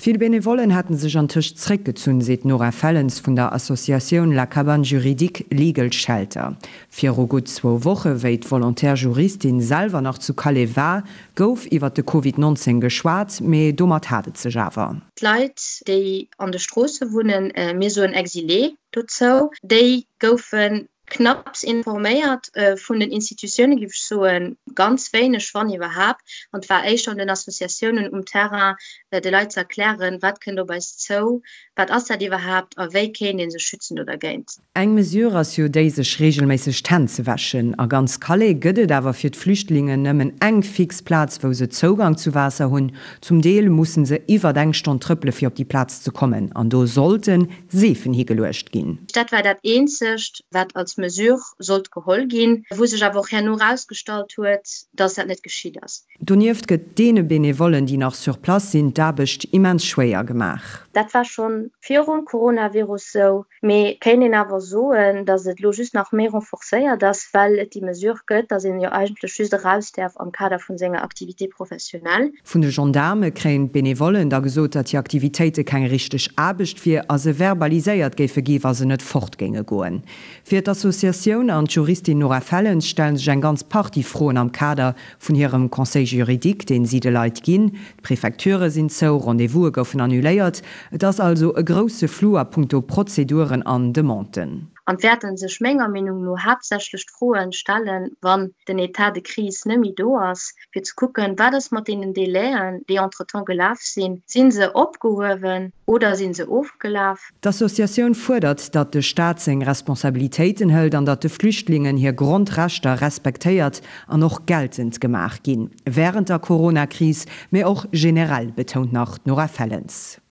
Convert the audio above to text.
Vill Benevollen hätte sech antëscht zréckgezunn, seet d'Nora Fellens vun der Associatioun La Cabane Juridique Legal Shelter. Viru gutt zwou Woche, wéi d'Volontaire Juristin selwer nach zu Calais war, gouf iwwer de Covid 19 geschwat, mee domat hat et sech awer. D'Leit, déi an de Stroosse wunnen, mir soen Exilé dozou, déi goufe Knapps informéiert vun den Institutiounen, géif ech soen, ganz wéineg, wann iwwerhaapt. An et war éischter un den Associatiounen um Terrain, de Leit ze erklären, wat kënnt op eis zou, wat ass dat iwwerhaapt a wéi kéint ee sech schützen do dergéint. Eng Mesure ass jo déi, sech reegelméisseg d'Hänn ze wäschen. A ganz Calais gëtt et awer fir d'Flüchtlingen nëmmen eng fix Plaz, wou se Zougang zu Waasser hunn. Zum Deel musse se iwwert eng Stonn trëppele fir op déi Plaz ze kommen. An do sollte Seefen higeluecht ginn. Dat war dat eenzegt, wat als Mesure sollt geholl ginn, wou sech awer och herno erausgestallt huet, dass dat net geschitt ass. Donieft gëtt deene Benevollen, déi nach sur place sinn, d'Aarbecht immens schwéier gemaach. Dat war scho virum Coronavirus sou, mee kéint een awer soen, dass et elo just nach méi renforcéiert ass, well et déi Mesure gëtt, dass een jo eigentlech just eraus däerf am Kader vun senger Activité professionnelle. Vun de Gendaarme kréien d'Benevollen da gesot, datt hir Aktivitéite keng richteg Aarbecht wier a se verbaliséiert géife gi wa se net fort géinge goen. Fir d'Associatioun an d'Juristin Nora Fellens stelle sech eng ganz Partie Froen am Kader vun hirem Conseil juridique, deen si de Leit ginn. D'Prefecture sinn zou, Rendez-vouse goufen annuléiert. Et ass also e grousse Flou a puncto Prozeduren an Demanden. An d'wäerten sech menger Meenung no haaptsächlech d'Froen stellen, wann den État de crise net méi do ass, fir ze kucken, wat ass mat deenen Délaiën, déi entretemps gelaf sinn, si se opgehuewen oder si se ofgelaf? D'Associatioun fuerdert, datt de Staat seng Responsabilitéiten hëlt an datt de Flüchtlingen hir Grondrechter respektéiert an och geltend gemaach ginn, wärend der Corona-Kris, mee och generell, betount nach d'Nora Fellens.